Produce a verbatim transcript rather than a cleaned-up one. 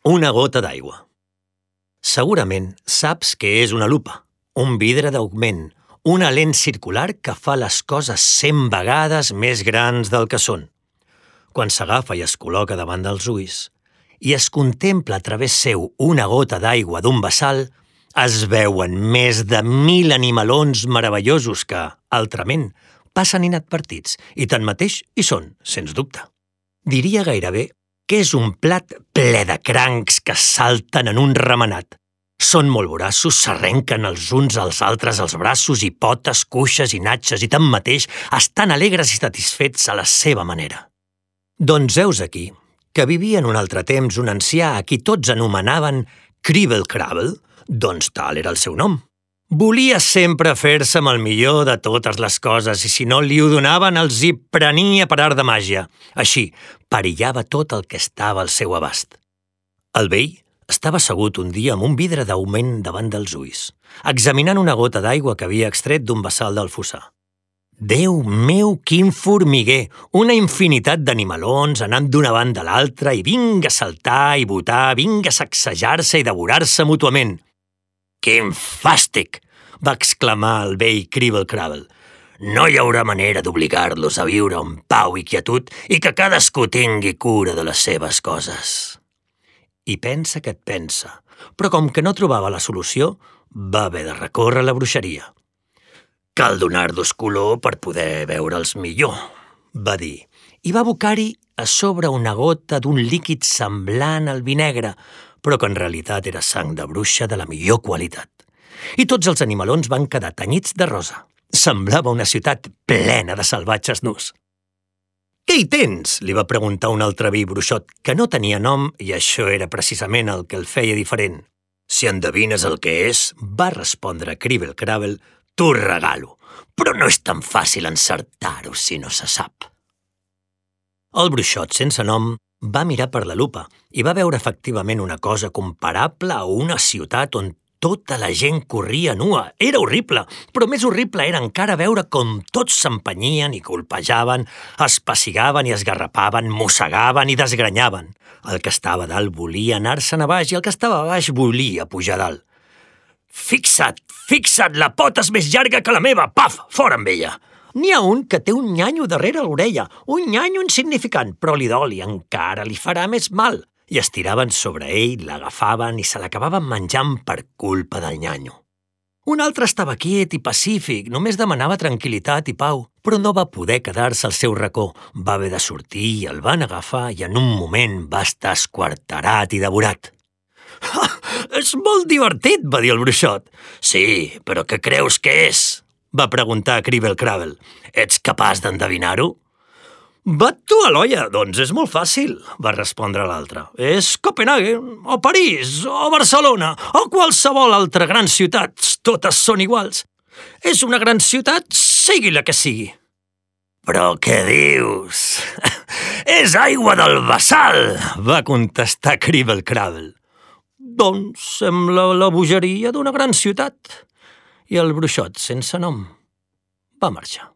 Una gota d'aigua. Segurament saps què és una lupa, un vidre d'augment, una lent circular que fa les coses cent vegades més grans del que són. Quan s'agafa i es col·loca davant dels ulls i es contempla a través seu una gota d'aigua d'un bassal, es veuen més de mil animalons meravellosos que, altrament, passen inadvertits i tanmateix hi són, sens dubte. Diria gairebé que és un plat ple de crancs que salten en un remenat. Són molt voraços, s'arrenquen els uns als altres els braços i potes, cuixes i natxes i tanmateix estan alegres i satisfets a la seva manera. Doncs heus aquí que vivia en un altre temps un ancià a qui tots anomenaven Cribble Crabble, doncs tal era el seu nom. Volia sempre fer-se amb el millor de totes les coses i si no li ho donaven els hi prenia per art de màgia. Així, perillava tot el que estava al seu abast. El vell estava assegut un dia amb un vidre d'augment davant dels ulls, examinant una gota d'aigua que havia extret d'un bassal del fossar. Déu meu, quin formiguer! Una infinitat d'animalons anant d'una banda a l'altra i vinga a saltar i botar, vinga a sacsejar-se i devorar-se mútuament. «Quin fàstic!», va exclamar el vell Cribble Crabble. «No hi haurà manera d'obligar-los a viure en pau i quietud i que cadascú tingui cura de les seves coses». I pensa que et pensa, però com que no trobava la solució, va haver de recórrer a la bruixeria. «Cal donar-los color per poder veure'ls millor», va dir, i va abocar-hi a sobre una gota d'un líquid semblant al vi negre, però que en realitat era sang de bruixa de la millor qualitat. I tots els animalons van quedar tenyits de rosa. Semblava una ciutat plena de salvatges nus. «Què hi tens?», li va preguntar un altre vi bruixot, que no tenia nom i això era precisament el que el feia diferent. «Si endevines el que és», va respondre Cribble Crabble, «t'ho regalo, però no és tan fàcil encertar-ho si no se sap». El bruixot sense nom va mirar per la lupa i va veure efectivament una cosa comparable a una ciutat on tota la gent corria nua. Era horrible, però més horrible era encara veure com tots s'empenyien i colpejaven, es pessigaven i esgarrapaven, mossegaven i desgranyaven. El que estava a dalt volia anar-se'n a baix i el que estava a baix volia pujar a dalt. «Fixa't, fixa't, la pota és més llarga que la meva! Paf, fora amb ella!» N'hi ha un que té un nyanyo darrere l'orella, un nyanyo insignificant, però li dol i encara li farà més mal. I es tiraven sobre ell, l'agafaven i se l'acabaven menjant per culpa del nyanyo. Un altre estava quiet i pacífic, només demanava tranquil·litat i pau, però no va poder quedar-se al seu racó. Va haver de sortir i el van agafar i en un moment va estar esquarterat i devorat. «Ah, és molt divertit», va dir el bruixot. «Sí, però què creus que és?», va preguntar Cribble Crabble. «Ets capaç d'endevinar-ho?» «Bat tu a l'olla, doncs és molt fàcil», va respondre l'altre. «És Copenhagen, o París, o Barcelona, o qualsevol altra gran ciutat. Totes són iguals. És una gran ciutat, sigui la que sigui». «Però què dius?» «És aigua del bassal», va contestar Cribble Crabble. «Doncs sembla la bogeria d'una gran ciutat». I el bruixot sense nom va marxar.